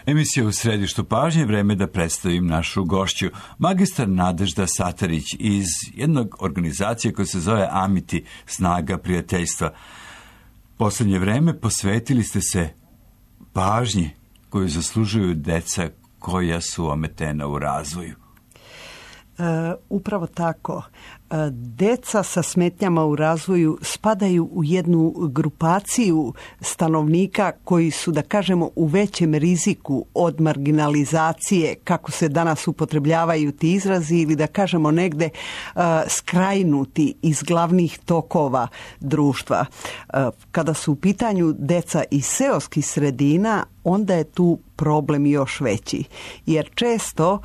Emisija U središtu pažnje, vreme da predstavim našu gošću, magistar Nadežda Satarić iz jednog organizacije koja se zove Amiti, Snaga prijateljstva. Posljednje vreme posvetili ste se pažnji koju zaslužuju deca koja su ometena u razvoju. Upravo tako. Deca sa smetnjama u razvoju spadaju u jednu grupaciju stanovnika koji su, da kažemo, u većem riziku od marginalizacije, kako se danas upotrebljavaju ti izrazi, ili da kažemo negde skrajnuti iz glavnih tokova društva. Kada su u pitanju deca iz seoskih sredina, onda je tu problem još veći. Jer često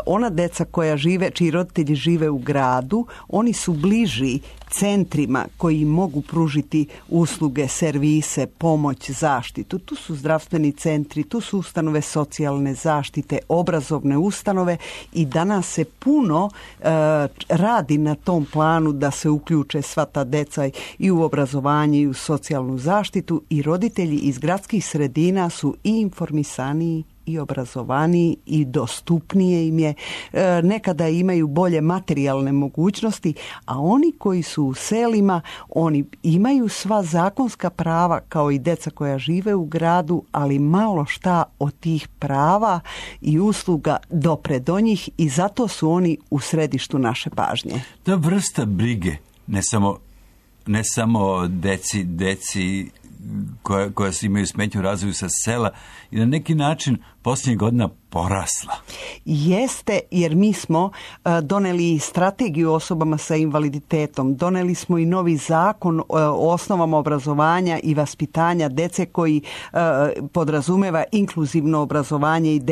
ona deca koja žive, čiji roditelji žive u gradu, oni su bliži centrima koji im mogu pružiti usluge, servise, pomoć, zaštitu. Tu su zdravstveni centri, tu su ustanove socijalne zaštite, obrazovne ustanove i danas se puno radi na tom planu da se uključe sva ta deca i u obrazovanje i u socijalnu zaštitu i roditelji iz gradskih sredina su i informisaniji i obrazovaniji i dostupnije im je. Nekada imaju bolje materijalne mogućnosti, a oni koji su u selima, oni imaju sva zakonska prava kao i deca koja žive u gradu, ali malo šta od tih prava i usluga dopre do njih i zato su oni u središtu naše pažnje. Ta vrsta brige, ne samo deci koja imaju smetnju u razvoju sa sela i na neki način posljednjih godina porasla. Jeste, jer mi smo doneli strategiju osobama sa invaliditetom, doneli smo i novi zakon o osnovama obrazovanja i vaspitanja dece koji podrazumeva inkluzivno obrazovanje i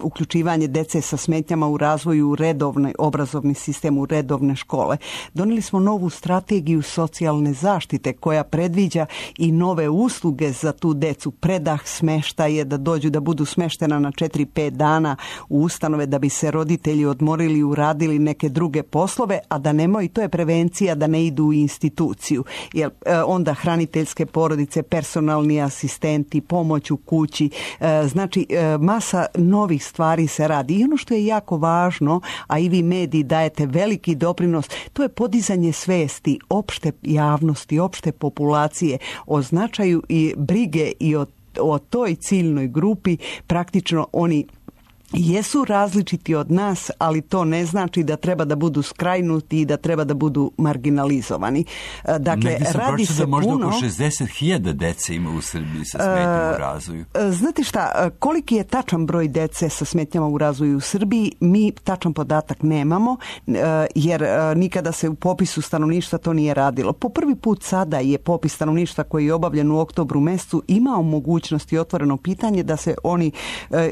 uključivanje dece sa smetnjama u razvoju u redovni obrazovni sistem, u redovne škole. Doneli smo novu strategiju socijalne zaštite koja predviđa i nove usluge za tu decu, predah smeštaje, da dođu da budu smeštena na 4-5 dana u ustanove da bi se roditelji odmorili, uradili neke druge poslove, a da nemoj, to je prevencija da ne idu u instituciju. Jer onda hraniteljske porodice, personalni asistenti, pomoć u kući, znači masa novih stvari se radi. I ono što je jako važno, a i vi mediji dajete veliki doprinos, to je podizanje svesti opšte javnosti, opšte populacije o značaju i brige i o toj ciljnoj grupi. Praktično oni jesu različiti od nas, ali to ne znači da treba da budu skrajnuti i da treba da budu marginalizovani. Dakle, radi se da možda puno. Oko 60.000 dece ima u Srbiji sa smetnjama u razvoju. Znate šta, koliki je tačan broj dece sa smetnjama u razvoju u Srbiji? Mi tačan podatak nemamo, jer nikada se u popisu stanovništva to nije radilo. Po prvi put sada je popis stanovništva koji je obavljen u oktobru mesecu imao mogućnosti, otvoreno pitanje, da se oni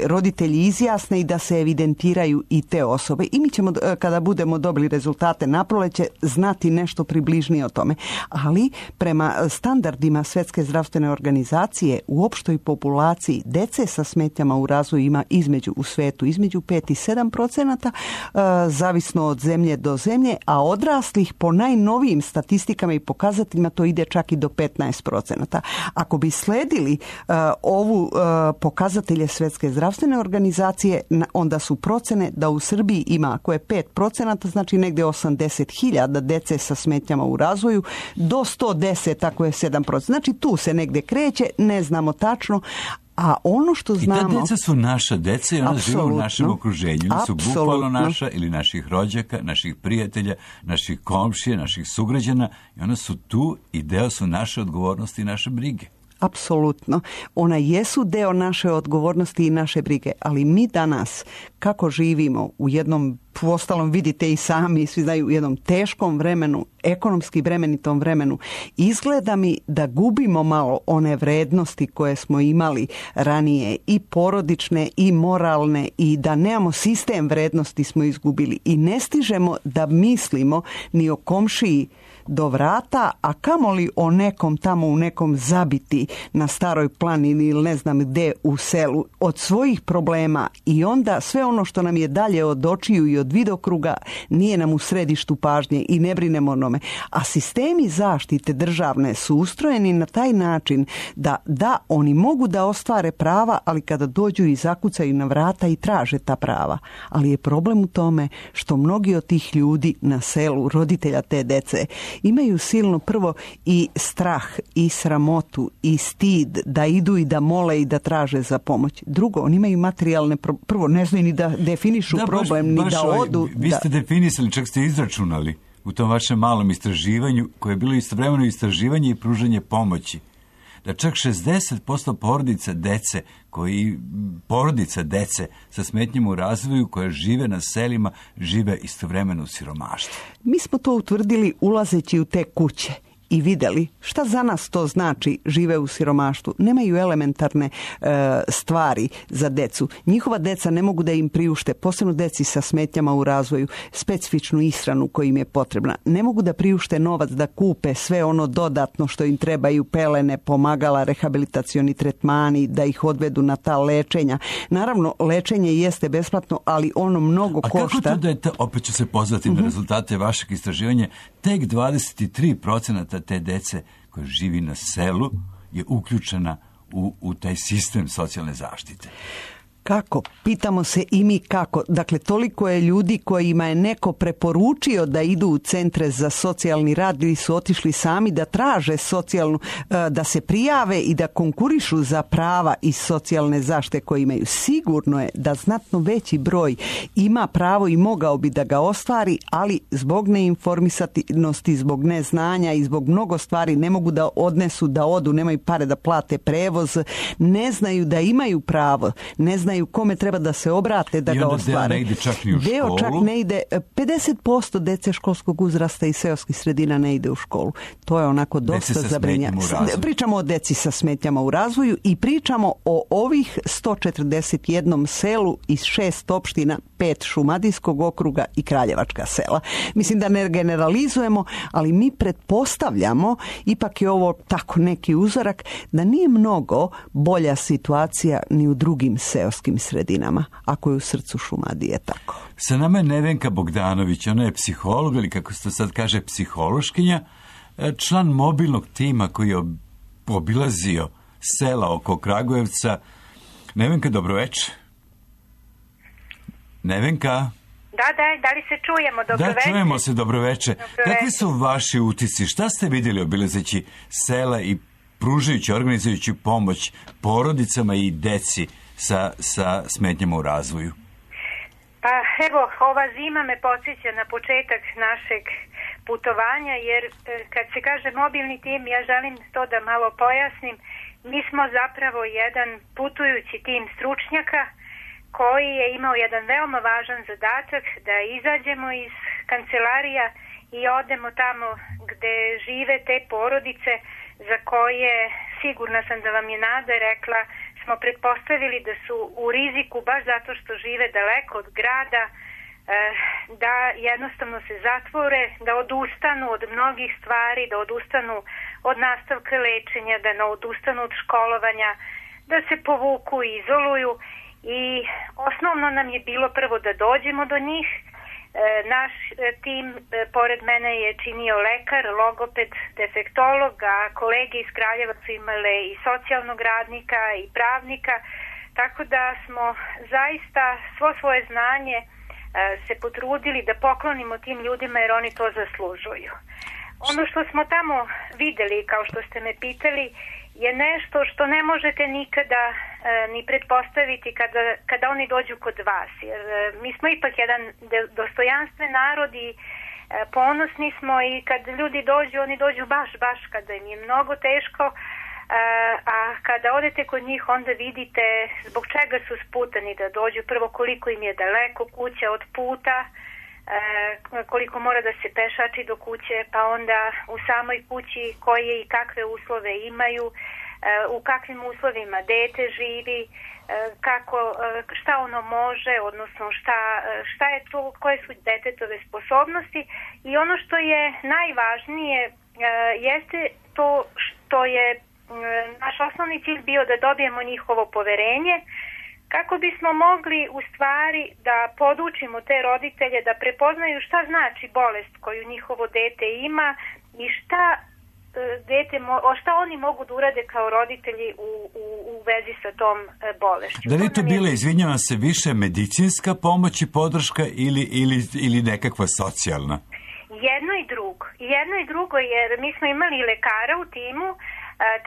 roditelji izjasne i da se evidentiraju i te osobe. I mi ćemo, kada budemo dobili rezultate na proleće, znati nešto približnije o tome. Ali prema standardima Svjetske zdravstvene organizacije u opštoj populaciji dece sa smetnjama u razvoju ima u svetu između 5 i 7%, zavisno od zemlje do zemlje, a odraslih po najnovijim statistikama i pokazateljima to ide čak i do 15%. Ako bi sledili ovu pokazatelje Svjetske zdravstvene organizacije, onda su procene da u Srbiji ima, ako je 5%, znači negdje 80.000 dece sa smetnjama u razvoju, do 110 ako je 7%. Znači tu se negdje kreće, ne znamo tačno, a ono što znamo... I ta deca su naša deca i ona žive u našem okruženju. Oni su bukvalno naša ili naših rođaka, naših prijatelja, naših komšija, naših sugrađana i ona su tu i deo su naše odgovornosti i naše brige. Apsolutno. Ona jesu deo naše odgovornosti i naše brige, ali mi danas kako živimo u jednom, uostalom vidite i sami, svi znaju, u jednom teškom vremenu, ekonomski bremenitom vremenu, izgleda mi da gubimo malo one vrednosti koje smo imali ranije, i porodične i moralne, i da nemamo sistem vrednosti smo izgubili i ne stižemo da mislimo ni o komšiji do vrata, a kamoli o nekom tamo u nekom zabiti na Staroj planini ili ne znam gde u selu od svojih problema, i onda sve ono što nam je dalje od očiju i od vidokruga nije nam u središtu pažnje i ne brinemo o nome. A sistemi zaštite državne su ustrojeni na taj način da oni mogu da ostvare prava, ali kada dođu i zakucaju na vrata i traže ta prava. Ali je problem u tome što mnogi od tih ljudi na selu, roditelja te dece, imaju silno prvo i strah i sramotu i stid da idu i da mole i da traže za pomoć. Drugo, oni imaju materijalne, prvo ne znaju ni da definišu problem, ni da odu. Vi ste definisali, čak ste izračunali u tom vašem malom istraživanju, koje je bilo istovremeno istraživanje i pružanje pomoći, da čak 60% porodica dece sa smetnjama u razvoju koje žive na selima, žive istovremeno u siromaštvu. Mi smo to utvrdili ulazeći u te kuće i vidjeli šta za nas to znači žive u siromaštvu. Nemaju elementarne stvari za decu. Njihova deca ne mogu da im priušte, posebno deci sa smetnjama u razvoju, specifičnu ishranu koja im je potrebna. Ne mogu da priušte novac da kupe sve ono dodatno što im trebaju, pelene, pomagala, rehabilitacioni tretmani, da ih odvedu na ta lečenja. Naravno, lečenje jeste besplatno, ali ono mnogo košta. A kako to da je, opet ću se pozvati na rezultate vašeg istraživanja, tek 23% te dece koja živi na selu je uključena u taj sistem socijalne zaštite. Kako? Pitamo se i mi kako. Dakle, toliko je ljudi kojima je neko preporučio da idu u centre za socijalni rad ili su otišli sami da traže socijalnu, da se prijave i da konkurišu za prava iz socijalne zaštite koje imaju. Sigurno je da znatno veći broj ima pravo i mogao bi da ga ostvari, ali zbog neinformisanosti, zbog neznanja i zbog mnogo stvari ne mogu da odnesu, da odu, nemaju pare da plate prevoz, ne znaju da imaju pravo, ne znaju kome treba da se obrate da ga ostvare. Deo ne ide čak ni u školu. Deo čak ne ide, 50% dece školskog uzrasta iz seoskih sredina ne ide u školu. To je onako dosta zabrinjavajuće. Pričamo o deci sa smetnjama u razvoju i pričamo o ovih 141 selu iz 6 opština, 5 Šumadijskog okruga i Kraljevačka sela. Mislim da ne generalizujemo, ali mi pretpostavljamo, ipak je ovo tako neki uzorak, da nije mnogo bolja situacija ni u drugim seoskim sredinama, ako je u srcu Šumadije tako. Sa nama je Nevenka Bogdanović, ona je psiholog, ili kako se sad kaže psihološkinja, član mobilnog tima koji je obilazio sela oko Kragujevca. Nevenka, dobroveče. Nevenka? Da li se čujemo? Dobroveče. Da, čujemo se, dobroveče. Kakvi su vaši utisci? Šta ste vidjeli obilazeći sela i pružajući, organizujući pomoć porodicama i deci sa smetnjama u razvoju? Pa evo, ova zima me podsjeća na početak našeg putovanja, jer kad se kaže mobilni tim, ja želim to da malo pojasnim. Mi smo zapravo jedan putujući tim stručnjaka koji je imao jedan veoma važan zadatak da izađemo iz kancelarija i odemo tamo gde žive te porodice za koje, sigurna sam da vam je Nada rekla, smo pretpostavili da su u riziku baš zato što žive daleko od grada, da jednostavno se zatvore, da odustanu od mnogih stvari, da odustanu od nastavka lečenja, da ne odustanu od školovanja, da se povuku i izoluju. I osnovno nam je bilo prvo da dođemo do njih. Naš tim pored mene je činio lekar, logoped, defektolog, a kolege iz Kraljeva su imale i socijalnog radnika i pravnika, tako da smo zaista svo svoje znanje se potrudili da poklonimo tim ljudima jer oni to zaslužuju. Ono što smo tamo videli, kao što ste me pitali, je nešto što ne možete nikada ni pretpostaviti kada oni dođu kod vas. Jer mi smo ipak jedan dostojanstven narod i ponosni smo i kad ljudi dođu, oni dođu baš kada im je mnogo teško, a kada odete kod njih onda vidite zbog čega su sputani da dođu. Prvo koliko im je daleko kuća od puta, koliko mora da se pešači do kuće, pa onda u samoj kući koje i kakve uslove imaju, u kakvim uslovima dete živi, šta ono može, odnosno šta je to, koje su detetove sposobnosti. I ono što je najvažnije jeste to što je naš osnovni cilj bio da dobijemo njihovo poverenje, kako bismo mogli u stvari da podučimo te roditelje da prepoznaju šta znači bolest koju njihovo dete ima i šta oni mogu da urade kao roditelji u vezi sa tom bolešću. Da li je to bila, izvinjavam se, više medicinska pomoć i podrška ili nekakva socijalna? Jedno i drugo, jer mi smo imali lekara u timu,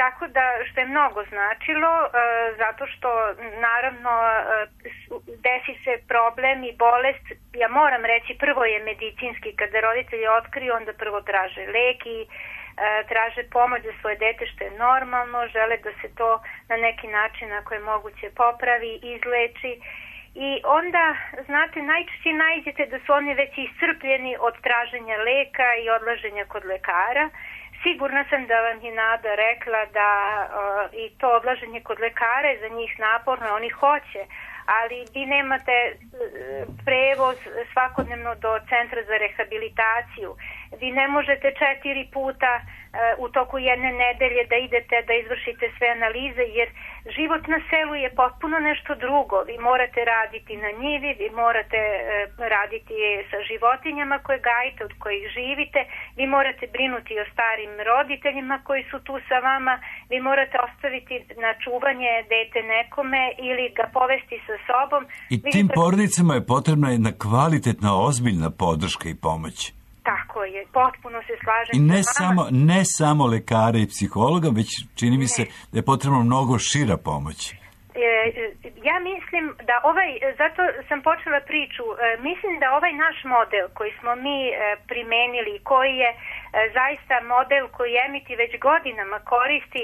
tako da, što je mnogo značilo, zato što naravno desi se problem i bolest. Ja moram reći, prvo je medicinski, kada roditelji otkriju, onda prvo traže lek i traže pomoć za svoje dete, što je normalno, žele da se to na neki način, ako je moguće, popravi, izleči. I onda, znate, najčešće nađete da su oni već iscrpljeni od traženja leka i odlaženja kod lekara. Sigurna sam da vam je Nada rekla da i to odlaženje kod lekara je za njih naporno, oni hoće, ali vi nemate prevoz svakodnevno do centra za rehabilitaciju. Vi ne možete 4 puta u toku jedne nedelje da idete da izvršite sve analize, jer život na selu je potpuno nešto drugo. Vi morate raditi na njivi, vi morate raditi sa životinjama koje gajite, od kojih živite, vi morate brinuti o starim roditeljima koji su tu sa vama, vi morate ostaviti na čuvanje dete nekome ili ga povesti sa sobom. I tim porodicama je potrebna jedna kvalitetna, ozbiljna podrška i pomoć. Tako je, potpuno se slažem. I ne samo lekara i psihologa, već čini mi se da je potrebno mnogo šira pomoć. Ja mislim da zato sam počela priču, mislim da ovaj naš model koji smo mi primenili, koji je zaista model koji Amity već godinama koristi,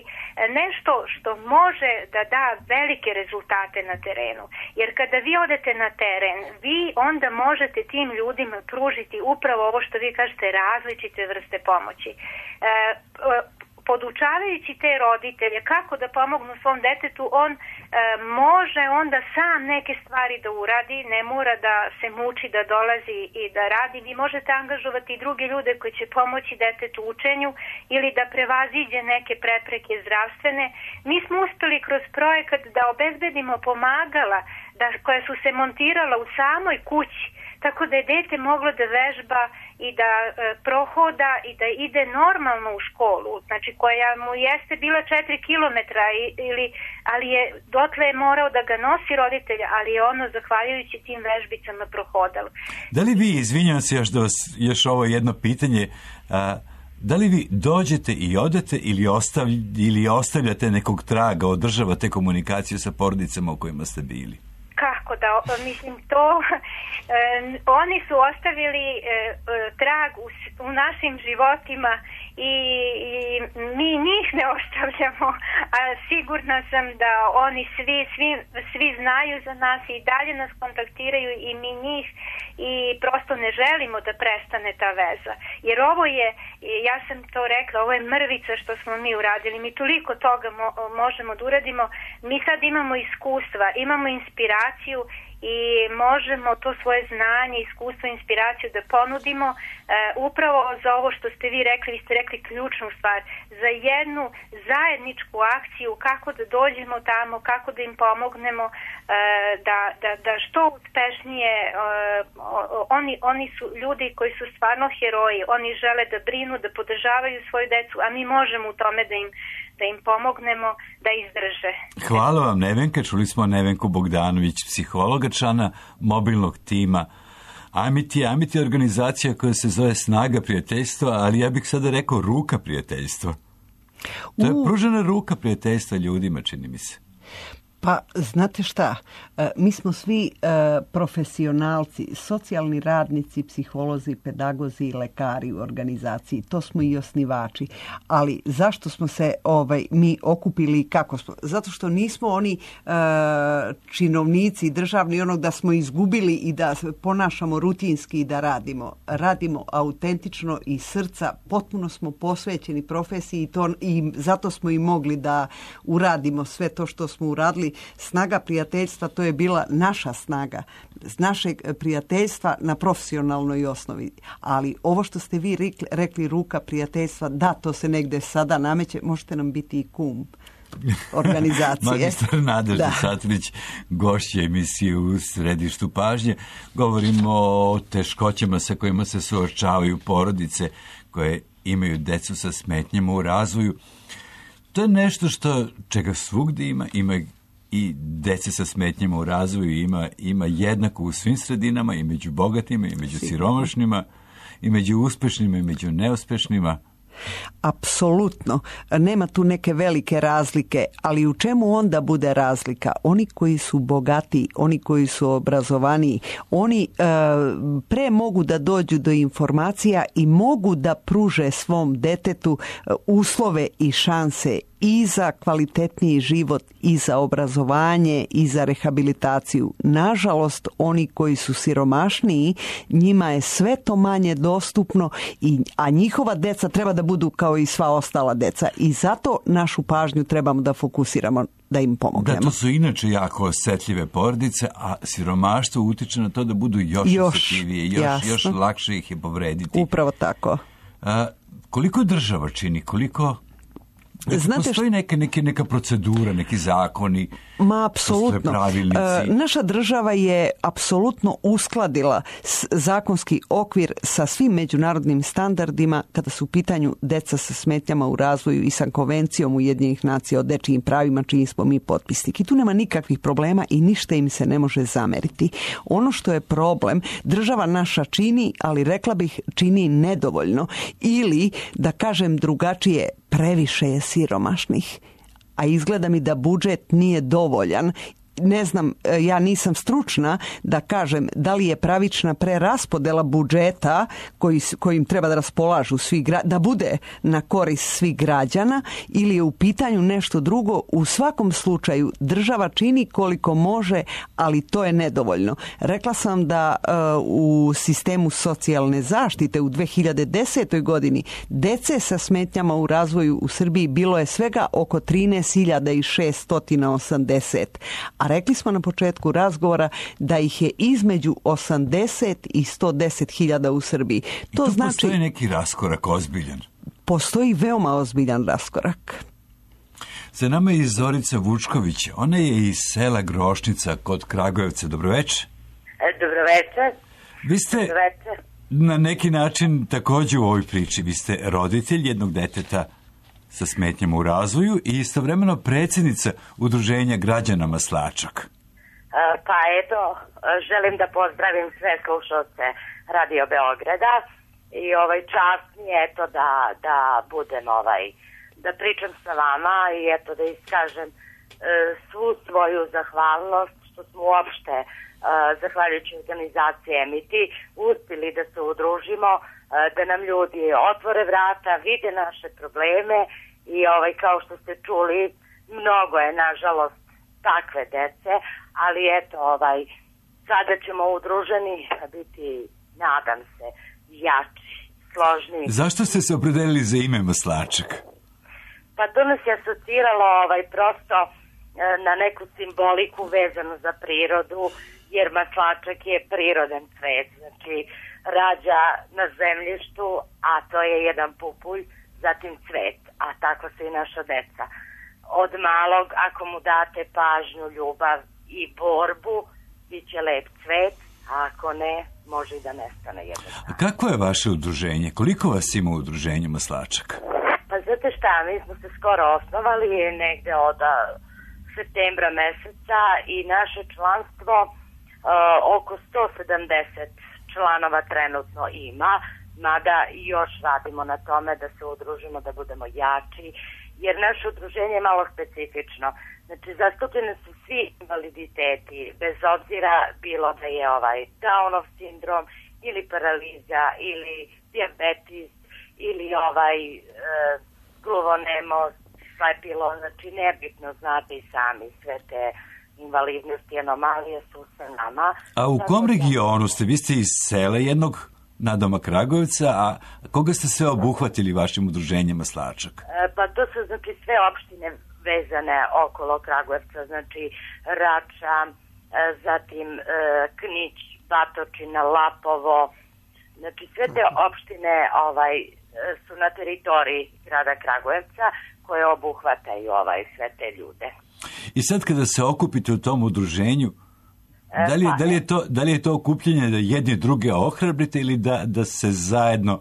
nešto što može da da velike rezultate na terenu. Jer kada vi odete na teren, vi onda možete tim ljudima pružiti upravo ovo što vi kažete, različite vrste pomoći. Podučavajući te roditelje kako da pomognu svom detetu, on može onda sam neke stvari da uradi, ne mora da se muči da dolazi i da radi. Vi možete angažovati i druge ljude koji će pomoći detetu u učenju ili da prevaziđe neke prepreke zdravstvene. Mi smo uspeli kroz projekat da obezbedimo pomagala koja su se montirala u samoj kući, tako da je dete moglo da vežba i da prohoda i da ide normalno u školu, znači koja mu jeste bila 4 kilometra, ali je dotle je morao da ga nosi roditelja, ali je ono zahvaljujući tim vežbicama prohodalo. Da li vi, izvinjam se još ovo jedno pitanje, da li vi dođete i odete ili ostavljate nekog traga, održavate komunikaciju sa porodicama u kojima ste bili? Kako da, mislim to, oni su ostavili trag u našim životima i mi njih ne ostavljamo, a sigurna sam da oni svi znaju za nas i dalje nas kontaktiraju i mi njih, i prosto ne želimo da prestane ta veza. Jer ovo je, ja sam to rekla, ovo je mrvica što smo mi uradili, mi toliko toga možemo da uradimo, mi sad imamo iskustva, imamo inspiraciju i možemo to svoje znanje, iskustvo, inspiraciju da ponudimo upravo za ovo što ste vi rekli ključnu stvar, za jednu zajedničku akciju, kako da dođemo tamo, kako da im pomognemo, da što uspešnije, oni su ljudi koji su stvarno heroji, oni žele da brinu, da podržavaju svoju decu, a mi možemo u tome da im pomognemo da izdrže. Hvala vam, Nevenka. Čuli smo Nevenku Bogdanović, psihologa, člana mobilnog tima Amity je organizacija koja se zove Snaga prijateljstva, ali ja bih sada rekao Ruka prijateljstva. To je pružena ruka prijateljstva ljudima, čini mi se. Pa, znate šta, mi smo svi profesionalci, socijalni radnici, psiholozi, pedagozi i lekari u organizaciji. To smo i osnivači. Ali zašto smo se mi okupili i kako smo? Zato što nismo oni činovnici državni, onog da smo izgubili i da ponašamo rutinski i da radimo. Radimo autentično iz srca, potpuno smo posvećeni profesiji i zato smo i mogli da uradimo sve to što smo uradili. Snaga prijateljstva, to je bila naša snaga, našeg prijateljstva na profesionalnoj osnovi. Ali ovo što ste vi rekli ruka prijateljstva, da, to se negde sada nameće, možete nam biti i kum organizacije. Magistar Nadežda Satarić, gošća emisije U središtu pažnje. Govorimo o teškoćama sa kojima se suočavaju porodice koje imaju decu sa smetnjama u razvoju. To je nešto čega svugdje ima i dece sa smetnjama u razvoju ima jednako u svim sredinama, i među bogatima, i među siromašnima, i među uspešnima, i među neuspešnima. Apsolutno. Nema tu neke velike razlike, ali u čemu onda bude razlika? Oni koji su bogati, oni koji su obrazovaniji, oni pre mogu da dođu do informacija i mogu da pruže svom detetu uslove i šanse i za kvalitetniji život, i za obrazovanje, i za rehabilitaciju. Nažalost, oni koji su siromašniji, njima je sve to manje dostupno, a njihova deca treba da budu kao i sva ostala deca. I zato našu pažnju trebamo da fokusiramo, da im pomognemo. Da, to su inače jako osjetljive porodice, a siromaštvo utiče na to da budu još osjetljivije, još lakše ih je povrediti. Upravo tako. Koliko država čini, koliko... Postoji neka procedura, neki zakoni, apsolutno. Naša država je apsolutno uskladila zakonski okvir sa svim međunarodnim standardima kada su u pitanju deca sa smetnjama u razvoju i sa Konvencijom Ujedinjenih nacija o dečijim pravima, čiji smo mi potpisnik. I tu nema nikakvih problema i ništa im se ne može zameriti. Ono što je problem, država naša čini, ali rekla bih čini nedovoljno, ili da kažem drugačije, previše je siromašnih, a izgleda mi da budžet nije dovoljan. Ne znam, ja nisam stručna da kažem da li je pravična preraspodela budžeta kojim treba da raspolažu da bude na korist svih građana, ili je u pitanju nešto drugo. U svakom slučaju država čini koliko može, ali to je nedovoljno. Rekla sam da u sistemu socijalne zaštite u 2010. godini dece sa smetnjama u razvoju u Srbiji bilo je svega oko 13.680, a rekli smo na početku razgovora da ih je između 80 i 110.000 u Srbiji. To znači, postoji neki raskorak ozbiljan? Postoji veoma ozbiljan raskorak. Za nama je Zorica Vučković. Ona je iz sela Grošnica kod Kragujevca. Dobroveče. Dobroveče. Vi ste na neki način također u ovoj priči. Vi ste roditelj jednog deteta sa smetnjama u razvoju i istovremeno predsjednica Udruženja građana Maslačak. Pa eto, želim da pozdravim sve slušalce Radio Beograda i čast mi je eto da budem da pričam sa vama i eto da iskažem svu svoju zahvalnost što smo uopšte zahvaljujući organizacije Emiti uspjeli da se udružimo, da nam ljudi otvore vrata, vide naše probleme i kao što ste čuli, mnogo je nažalost takve dece, ali eto sada ćemo udruženi biti, nadam se, jači, složniji. Zašto ste se opredelili za ime Maslačak? Pa to nas je asociralo prosto na neku simboliku vezanu za prirodu, jer maslačak je prirodan cvet, znači rađa na zemljištu, a to je jedan pupulj, zatim cvet, a tako se i naša deca. Od malog, ako mu date pažnju, ljubav i borbu, bit će lep cvet, a ako ne, može i da nestane jednostavno. A kako je vaše udruženje? Koliko vas ima u udruženju Maslačak? Pa znate šta, mi smo se skoro osnovali negde od septembra meseca i naše članstvo oko 170 članova trenutno ima, mada još radimo na tome da se udružimo, da budemo jači, jer naše udruženje je malo specifično. Znači, zastupljene su svi invaliditeti, bez obzira bilo da je Downov sindrom ili paraliza ili dijabetis ili gluvonemost, slepilo, znači nebitno, znate i sami, sve te invalidnosti, anomalije su sa nama. A u kom regionu ste? Vi ste iz sela jednog nadoma Kragujevca, a koga ste sve obuhvatili vašim udruženjem Maslačak? Pa to su znači sve opštine vezane okolo Kragujevca, znači Rača, zatim Knić, Batočina, Lapovo, znači sve te opštine su na teritoriji grada Kragujevca koje obuhvataju sve te ljude. I sad kada se okupite u tom udruženju, da li je to okupljanje da jedni druge ohrabrite ili da se zajedno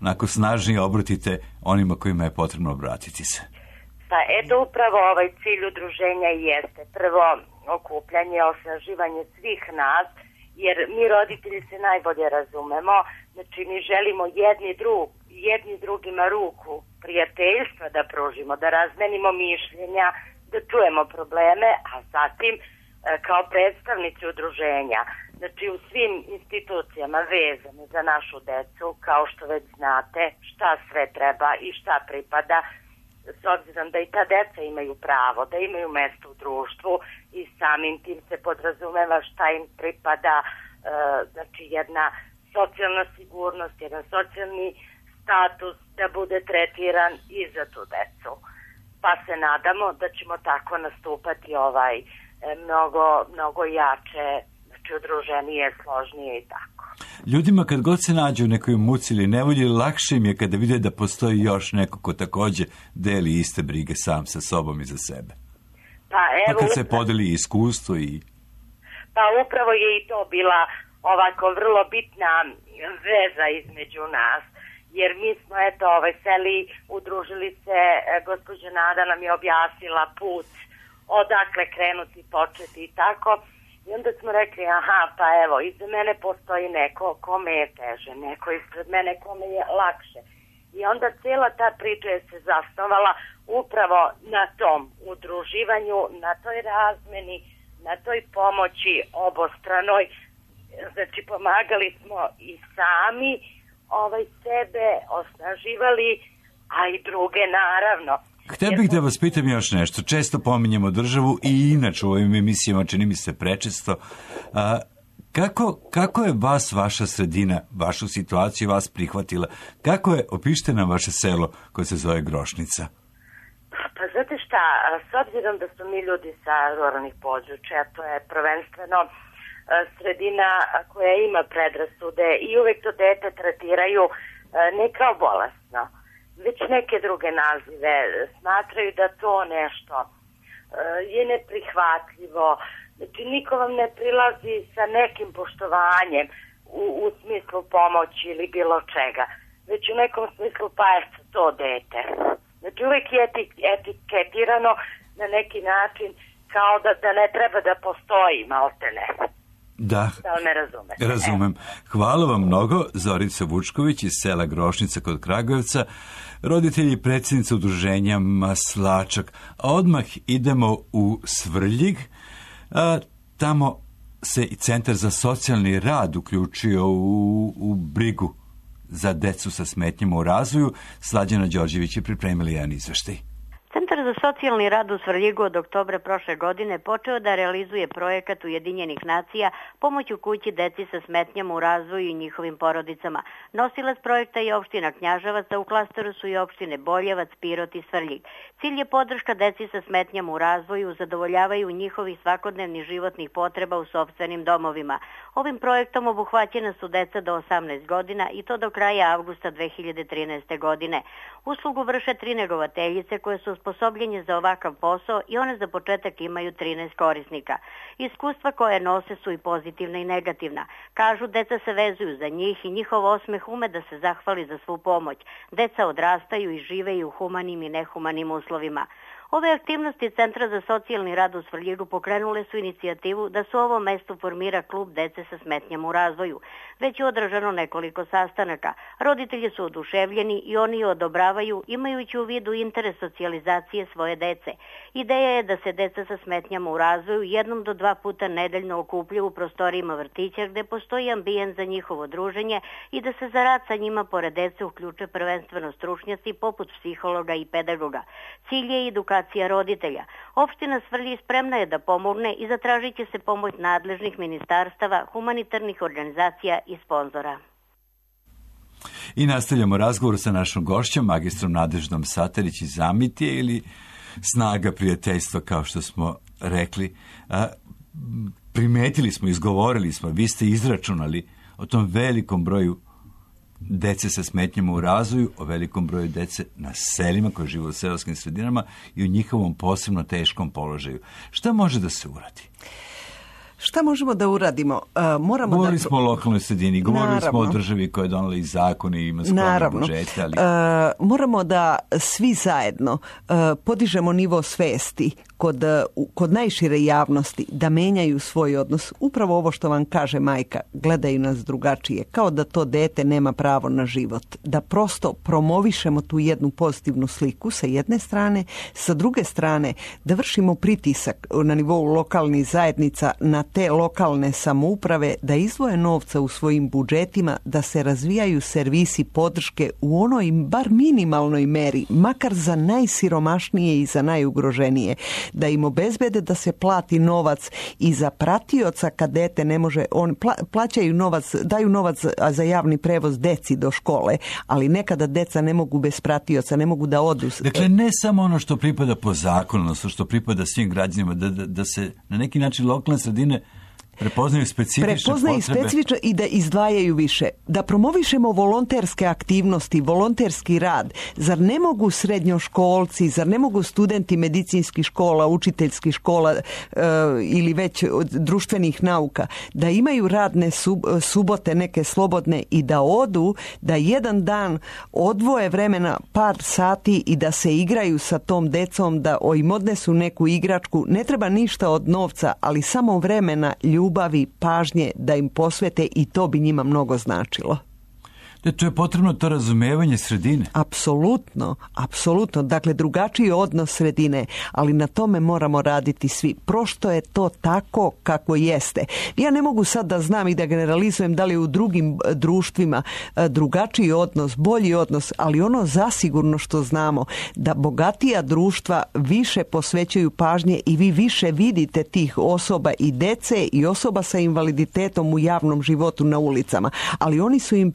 onako snažnije obratite onima kojima je potrebno obratiti se? Pa eto upravo cilj udruženja jeste prvo okupljanje, osnaživanje svih nas, jer mi roditelji se najbolje razumemo, znači mi želimo jedni drugima ruku prijateljstva da pružimo, da razmenimo mišljenja, da čujemo probleme, a zatim kao predstavnici udruženja, znači u svim institucijama vezane za našu decu, kao što već znate, šta sve treba i šta pripada, s obzirom da i ta deca imaju pravo, da imaju mesto u društvu i samim tim se podrazumeva šta im pripada, znači jedna socijalna sigurnost, jedan socijalni status da bude tretiran i za tu decu. Pa se nadamo da ćemo tako nastupati mnogo jače, znači udruženije, složnije i tako. Ljudima kad god se nađu u nekoj muci ili nevolji, lakše im je kada vide da postoji još neko ko takođe deli iste brige sam sa sobom i za sebe. Pa kad se podeli iskustvo i... Pa upravo je i to bila ovako vrlo bitna veza između nas, jer mi smo seli, udružili se, gospođa Nada nam je objasnila put, odakle krenuti, početi i tako. I onda smo rekli, pa evo, iza mene postoji neko kome je teže, neko ispred mene kome je lakše. I onda cijela ta priča je se zasnovala upravo na tom udruživanju, na toj razmeni, na toj pomoći obostranoj. Znači, pomagali smo i sami sebe, osnaživali, a i druge naravno. Htio bih da vas pitam još nešto. Često pominjemo državu i inače u ovim emisijama, čini mi se prečesto. Kako je vas, vaša sredina, vašu situaciju vas prihvatila? Kako je, opišite nam vaše selo koje se zove Grošnica? Pa znate šta, s obzirom da smo mi ljudi sa ruralnih područja, to je prvenstveno sredina koja ima predrasude i uvek to dete tretiraju ne kao bolesno, već neke druge nazive, smatraju da to nešto je neprihvatljivo, znači niko vam ne prilazi sa nekim poštovanjem u smislu pomoći ili bilo čega, već u nekom smislu pa je to dete. Znači uvek je etiketirano na neki način kao da ne treba da postoji, malte ne. Da, razumem. Hvala vam mnogo, Zorica Vučković iz sela Grošnica kod Kragujevca, roditelji i predsjednica udruženja Maslačak. A odmah idemo u Svrljig, tamo se i Centar za socijalni rad uključio u brigu za decu sa smetnjama u razvoju. Slađana Đorđević je pripremila jedan izveštaj. Centar za socijalni rad u Svrljigu od oktobra prošle godine počeo da realizuje projekat Ujedinjenih nacija pomoć u kući deci sa smetnjama u razvoju i njihovim porodicama. Nosilac projekta je opština Knjaževac, a u klasteru su i opštine Boljevac, Pirot i Svrljig. Cilj je podrška deci sa smetnjama u razvoju, zadovoljavaju njihovih svakodnevnih životnih potreba u sopstvenim domovima. Ovim projektom obuhvaćena su deca do 18 godina i to do kraja avgusta 2013. godine. Uslugu vrše 3 negovateljice koje su osposobljenje za ovakav posao i one za početak imaju 13 korisnika. Iskustva koje nose su i pozitivna i negativna. Kažu, deca se vezuju za njih i njihov osmeh ume da se zahvali za svu pomoć. Deca odrastaju i žive i u humanim i nehumanim uslovima. Ove aktivnosti Centra za socijalni rad u Svrljigu pokrenule su inicijativu da se u ovom mestu formira klub dece sa smetnjama u razvoju. Već je održano nekoliko sastanaka. Roditelji su oduševljeni i oni je odobravaju imajući u vidu interes socijalizacije svoje dece. Ideja je da se deca sa smetnjama u razvoju 1 do 2 puta nedeljno okupljaju u prostorijama vrtića gde postoji ambijent za njihovo druženje i da se za rad sa njima pored dece uključe prvenstveno stručnjaci poput psihologa i pedagoga. Cilj je edukacija roditelja. Opština Svrljig spremna je da pomogne i zatražit će se pomoć nadležnih ministarstava, humanitarnih organizacija i sponzora. I nastavljamo razgovor sa našom gošćom, magistrom Nadeždom Satarić iz Amitije ili Snaga prijateljstva, kao što smo rekli. Primetili smo, izgovorili smo, vi ste izračunali o tom velikom broju dece sa smetnjama u razvoju, o velikom broju dece na selima koji žive u seoskim sredinama i o njihovom posebno teškom položaju. Šta može da se uradi? Šta možemo da uradimo? Govorili smo o lokalnoj sredini, govorili smo o državi koja je donela i zakone i ima skromne budžete. Ali... moramo da svi zajedno podižemo nivo svesti kod najšire javnosti, da menjaju svoj odnos. Upravo ovo što vam kaže majka, gledaju nas drugačije, kao da to dete nema pravo na život. Da prosto promovišemo tu jednu pozitivnu sliku sa jedne strane, sa druge strane da vršimo pritisak na nivou lokalnih zajednica na te lokalne samouprave da izdvoje novca u svojim budžetima, da se razvijaju servisi podrške u onoj bar minimalnoj meri, makar za najsiromašnije i za najugroženije, da im obezbede da se plati novac i za pratioca kad dete ne može, on plaćaju novac, daju novac za javni prevoz deci do škole, ali nekada deca ne mogu bez pratioca, ne mogu da odu. Dakle, ne samo ono što pripada po zakonu, odnosno što pripada svim građanima, da se na neki način lokalne sredine prepoznaju specifične potrebe. I da izdvajaju više. Da promovišemo volonterske aktivnosti, volonterski rad. Zar ne mogu srednjoškolci, zar ne mogu studenti medicinskih škola, učiteljskih škola ili već društvenih nauka, da imaju radne subote neke slobodne i da odu, da jedan dan odvoje vremena par sati i da se igraju sa tom decom, da im odnesu neku igračku. Ne treba ništa od novca, ali samo vremena, ljubavi, pažnje da im posvete i to bi njima mnogo značilo. To je potrebno to razumevanje sredine. Apsolutno, apsolutno. Dakle, drugačiji odnos sredine, ali na tome moramo raditi svi. Prošto je to tako kako jeste. Ja ne mogu sad da znam i da generalizujem da li u drugim društvima drugačiji odnos, bolji odnos, ali ono zasigurno što znamo, da bogatija društva više posvećuju pažnje i vi više vidite tih osoba i dece i osoba sa invaliditetom u javnom životu na ulicama. Ali oni su im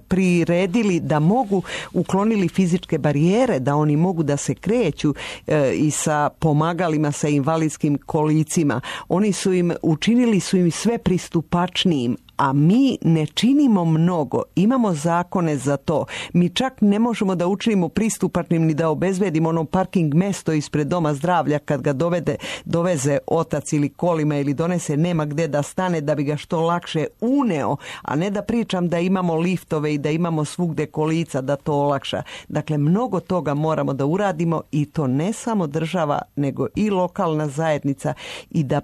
priredili da mogu, uklonili fizičke barijere, da oni mogu da se kreću i sa pomagalima, sa invalidskim kolicima. Oni su im, učinili su im sve pristupačnijim, a mi ne činimo mnogo. Imamo zakone za to. Mi čak ne možemo da učinimo pristupačnim ni da obezbedimo ono parking mesto ispred doma zdravlja kad ga doveze otac ili kolima ili donese, nema gde da stane da bi ga što lakše uneo, a ne da pričam da imamo liftove i da imamo svugde kolica da to olakša. Dakle, mnogo toga moramo da uradimo i to ne samo država, nego i lokalna zajednica i da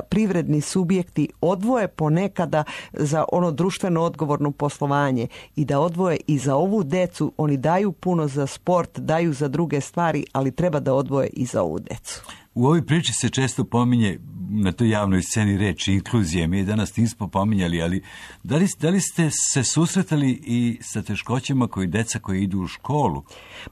privredni subjekti odvoje ponekada za ono društveno odgovorno poslovanje i da odvoje i za ovu decu. Oni daju puno za sport, daju za druge stvari, ali treba da odvoje i za ovu decu. U ovoj priči se često pominje na toj javnoj sceni reč inkluzije. Mi je danas nismo pominjali, ali da li ste se susretali i sa teškoćama deca koji idu u školu?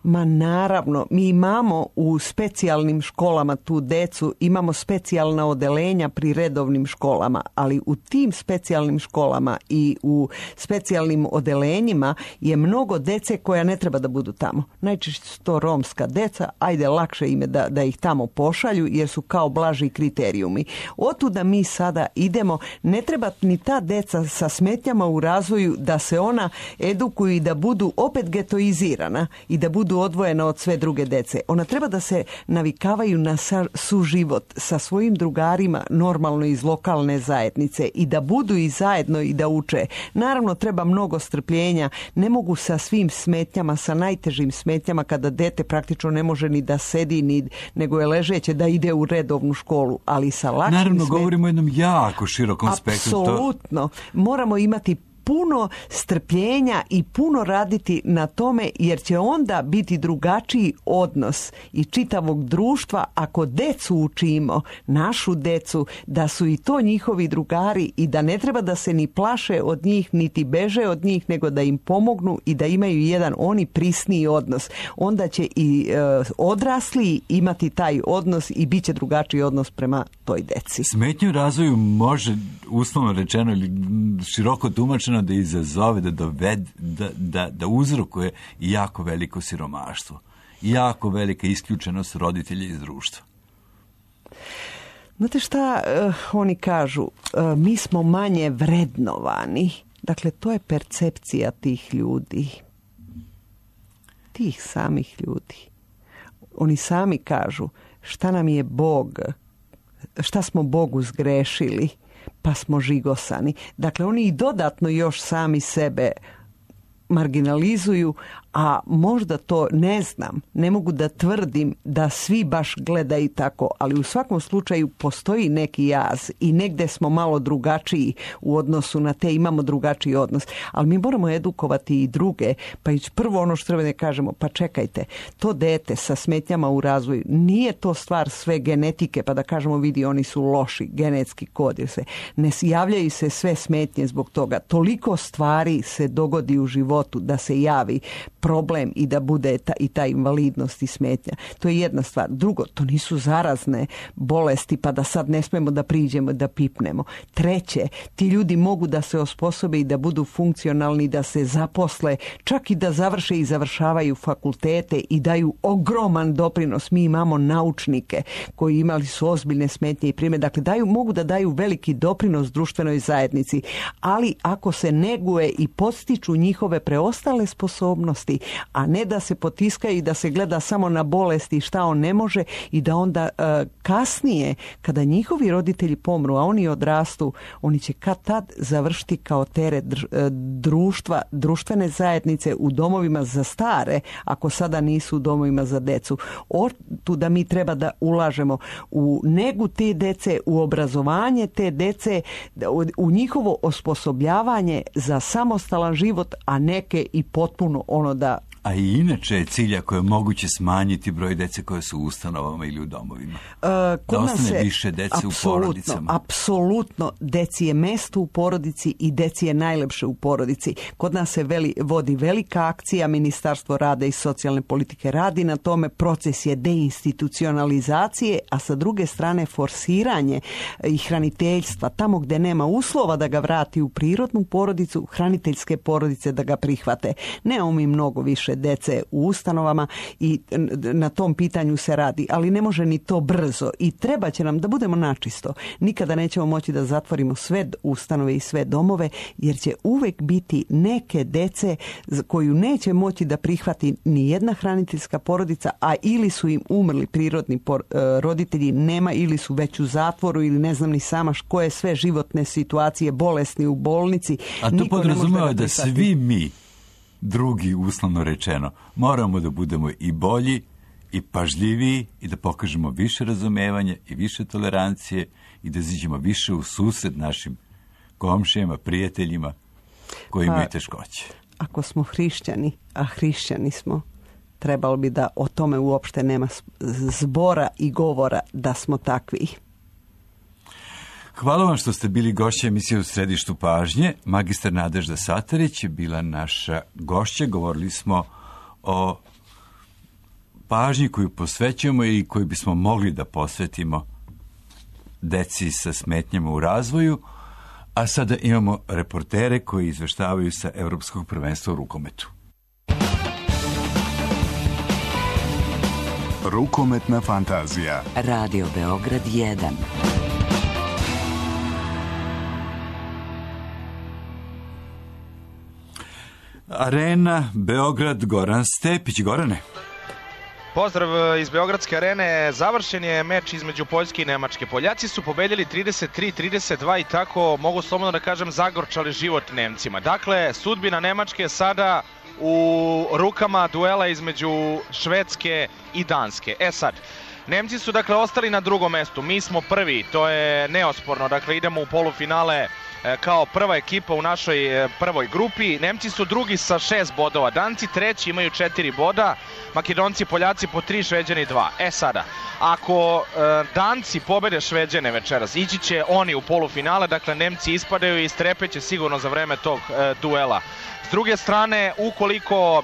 Ma naravno, mi imamo u specijalnim školama tu decu, imamo specijalna odelenja pri redovnim školama, ali u tim specijalnim školama i u specijalnim odelenjima je mnogo dece koja ne treba da budu tamo. Najčešće su to romska deca, ajde lakše im je da ih tamo pošalju, šalju jer su kao blaži kriterijumi. Otuda mi sada idemo, ne treba ni ta deca sa smetnjama u razvoju da se ona edukuju i da budu opet getoizirana i da budu odvojena od sve druge dece. Ona treba da se navikavaju na suživot sa svojim drugarima normalno iz lokalne zajednice i da budu i zajedno i da uče. Naravno treba mnogo strpljenja, ne mogu sa svim smetnjama, sa najtežim smetnjama kada dete praktično ne može ni da sedi nego je ležeće da ide u redovnu školu, ali sa lakšim Naravno govorimo o jednom jako širokom spektru. Apsolutno. Moramo imati puno strpljenja i puno raditi na tome jer će onda biti drugačiji odnos i čitavog društva ako decu učimo, našu decu, da su i to njihovi drugari i da ne treba da se ni plaše od njih niti beže od njih nego da im pomognu i da imaju jedan oni prisniji odnos. Onda će i odrasli imati taj odnos i bit će drugačiji odnos prema toj deci. Smetnje u razvoju može, uslovno rečeno ili široko tumačeno, da izazove, da dovede, da uzrokuje jako veliko siromaštvo, jako velika isključenost roditelja iz društva. Znate šta oni kažu? Mi smo manje vrednovani. Dakle, to je percepcija tih ljudi. Tih samih ljudi. Oni sami kažu šta nam je Bog, šta smo Bogu zgrešili, pa smo žigosani. Dakle, oni i dodatno još sami sebe marginalizuju, a možda to ne znam, ne mogu da tvrdim da svi baš gledaju tako, ali u svakom slučaju postoji neki jaz i negde smo malo drugačiji u odnosu na te, imamo drugačiji odnos, ali mi moramo edukovati i druge, pa i prvo ono što treba da kažemo, pa čekajte, to dete sa smetnjama u razvoju, nije to stvar sve genetike, pa da kažemo vidi oni su loši, genetski kod, jer se ne javljaju se sve smetnje zbog toga, toliko stvari se dogodi u životu da se javi problem i da bude ta invalidnost i smetnja. To je jedna stvar. Drugo, to nisu zarazne bolesti pa da sad ne smemo da priđemo da pipnemo. Treće, ti ljudi mogu da se osposobe i da budu funkcionalni, da se zaposle, čak i da završe i završavaju fakultete i daju ogroman doprinos. Mi imamo naučnike koji imali su ozbiljne smetnje i primjer. Dakle, mogu da daju veliki doprinos društvenoj zajednici, ali ako se neguje i podstiču njihove preostale sposobnosti, a ne da se potiskaju i da se gleda samo na bolesti šta on ne može i da onda kasnije kada njihovi roditelji pomru, a oni odrastu, oni će kad tad završiti kao teret društva, društvene zajednice u domovima za stare, ako sada nisu u domovima za decu. Tu da mi treba da ulažemo u negu te dece, u obrazovanje te dece, u njihovo osposobljavanje za samostalan život, a neke i potpuno ono da... A i inače je cilj ako je moguće smanjiti broj dece koje su u ustanovama ili u domovima. Da ostane više dece u porodicama. Apsolutno. Deci je mesto u porodici i deci je najlepše u porodici. Kod nas se vodi velika akcija, Ministarstvo rada i socijalne politike radi na tome, proces je deinstitucionalizacije, a sa druge strane forsiranje i hraniteljstva. Tamo gde nema uslova da ga vrati u prirodnu porodicu, hraniteljske porodice da ga prihvate. Nemamo mi mnogo više dece u ustanovama i na tom pitanju se radi, ali ne može ni to brzo i treba će nam da budemo načisto. Nikada nećemo moći da zatvorimo sve ustanove i sve domove, jer će uvek biti neke dece koju neće moći da prihvati ni jedna hraniteljska porodica, a ili su im umrli prirodni roditelji, nema ili su već u zatvoru ili ne znam ni sama koje sve životne situacije, bolesni u bolnici. A to podrazumeva da svi mi drugi, uslovno rečeno, moramo da budemo i bolji i pažljiviji i da pokažemo više razumevanja i više tolerancije i da izađemo više u susret našim komšijama, prijateljima koji imaju teškoće. Ako smo hrišćani, a hrišćani smo, trebalo bi da o tome uopšte nema zbora i govora da smo takvi. Hvala vam što ste bili gošća emisije U središtu pažnje. Magistar Nadežda Satarić je bila naša gošća. Govorili smo o pažnji koju posvećujemo i koju bismo mogli da posvetimo deci sa smetnjama u razvoju. A sada imamo reportere koji izveštavaju sa Evropskog prvenstva u rukometu. Rukometna fantazija. Radio Beograd 1. Arena Beograd, Goran Stepić. Gorane. Pozdrav iz Beogradske arene. Završen je meč između Poljske i Nemačke. Poljaci su pobedili 33-32 i tako, mogu slobodno da kažem, zagorčali život Nemcima. Dakle, sudbina Nemačke je sada u rukama duela između Švedske i Danske. Sad, Nemci su dakle ostali na drugom mestu, mi smo prvi, to je neosporno, dakle idemo u polufinale kao prva ekipa u našoj prvoj grupi. Nemci su drugi sa 6 bodova, Danci treći imaju 4 boda, Makedonci i Poljaci po 3, Šveđani 2. Sada, ako Danci pobede Šveđane večeras, ići će oni u polufinale, dakle Nemci ispadaju i strepeće sigurno za vreme tog duela. S druge strane, ukoliko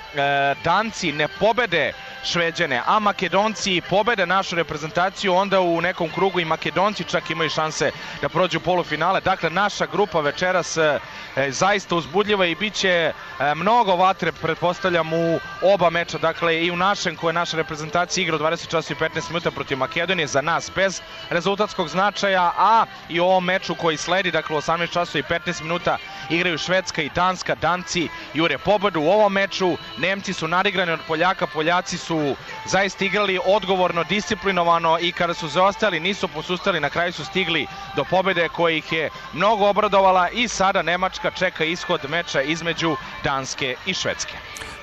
Danci ne pobede Šveđane, a Makedonci pobede našu reprezentaciju, onda u nekom krugu i Makedonci čak imaju šanse da prođu u polufinale. Dakle, naša grupa večeras zaista uzbudljiva i bit će mnogo vatre, pretpostavljam, u oba meča. Dakle, i u našem, koje naša reprezentacija igra u 20 časova i 15 minuta protiv Makedonije, za nas bez rezultatskog značaja, a i u ovom meču koji sledi, dakle, u 18 časova i 15 minuta igraju Švedska i Danska. Danci jure pobedu u ovom meču, Nemci su nadigrani od Poljaka, Poljaci su zaista igrali odgovorno, disciplinovano i kada su zaostali nisu posustali, na kraju su stigli do pobede koja ih je mnogo obradovala i sada Nemačka čeka ishod meča između Danske i Švedske.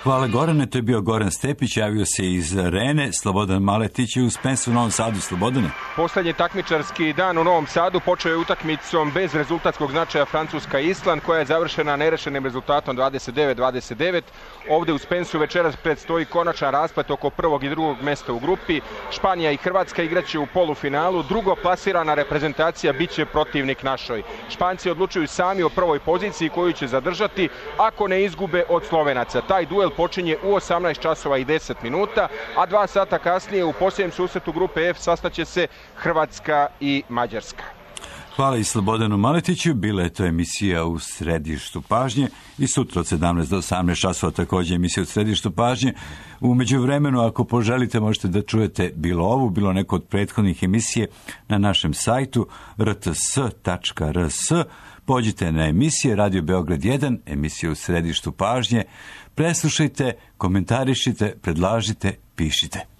Hvala Gorane, to je bio Goran Stepić, javio se iz arene. Slobodan Maletić je u Spensu u Novom Sadu. Slobodane. Poslednji takmičarski dan u Novom Sadu počeo je utakmicom bez rezultatskog značaja Francuska-Island, koja je završena nerešenim rezultatom 29-29. Ovde u Spensu večeras predstoji konačan rasplet oko prvog i drugog mesta u grupi. Španija i Hrvatska igraće u polufinalu, drugo plasirana reprezentacija biće protivnik našoj. Španci odlučuju sami o prvoj poziciji koju će zadržati ako ne izgube od Slovenaca. Taj duel počinje u 18 časova i 10 minuta, a 2 sata kasnije u posljednjem susretu grupe F sastaće se Hrvatska i Mađarska. Hvala i Slobodanu Maletiću. Bila je to emisija u središtu pažnje i sutra od 17 do 18 časova također emisija u središtu pažnje. U međuvremenu, ako poželite, možete da čujete bilo ovu, bilo neko od prethodnih emisije na našem sajtu rts.rs. Pođite na emisije Radio Beograd 1, emisije u središtu pažnje. Preslušajte, komentarišite, predlažite, pišite.